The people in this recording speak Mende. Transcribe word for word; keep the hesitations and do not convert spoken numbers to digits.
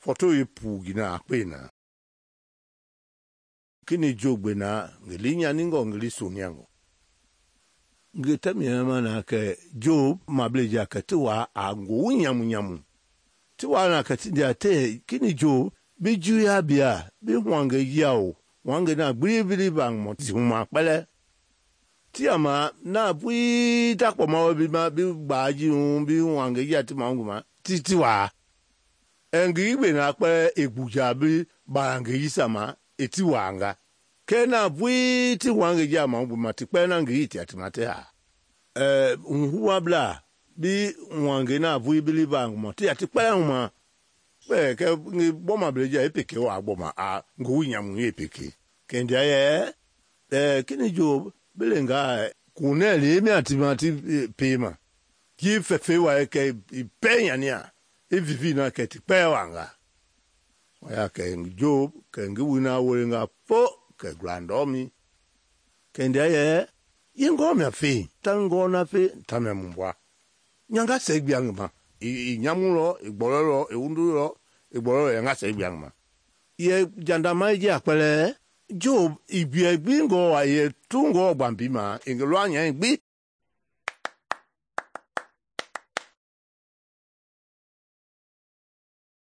Foto ye pu gina akpena. Kini jogbe na ngeli nyaningo ngeli soniango. Ngeta miyama na ke Job mableja ke tiwa a ngo nyamu nyamu. Tiwa na ke tindia te kini Job bi juya bia bi hwange yao. Hwange na gbili bang mo ti huma pele. Tiama na bui takpo ma bi ma bi baji un bi hwange ya ti manguma ti tiwa. Engi be na pe egbuja bi bange yisama eti wanga. Kena bui ti hwange ya manguma ti pe na ngi ti atimate ha. Eh unhuwa bla bi hwange na bui bili bang mo ti ati pe huma. Pe ke ngi boma bleja epeke wa boma a ngo nyamu epeke. Kendia ye eh kini Job belenga kuneli mi atimati pema. Ki fefe wa ke penya nia. Evivi na ke ti pe wanga. Waya ke Job ke ngi wina wolenga po ke grandomi. Kendia ye yengo me fe tango na fe tamya mbwa. Nyanga segbiangma. I nyamulo, igbololo, e undulo, igbololo yanga segbiangma. Ye jandama je akpele Job ibiegbi ngo wa ye tungo gbambima ingelwa nya gbi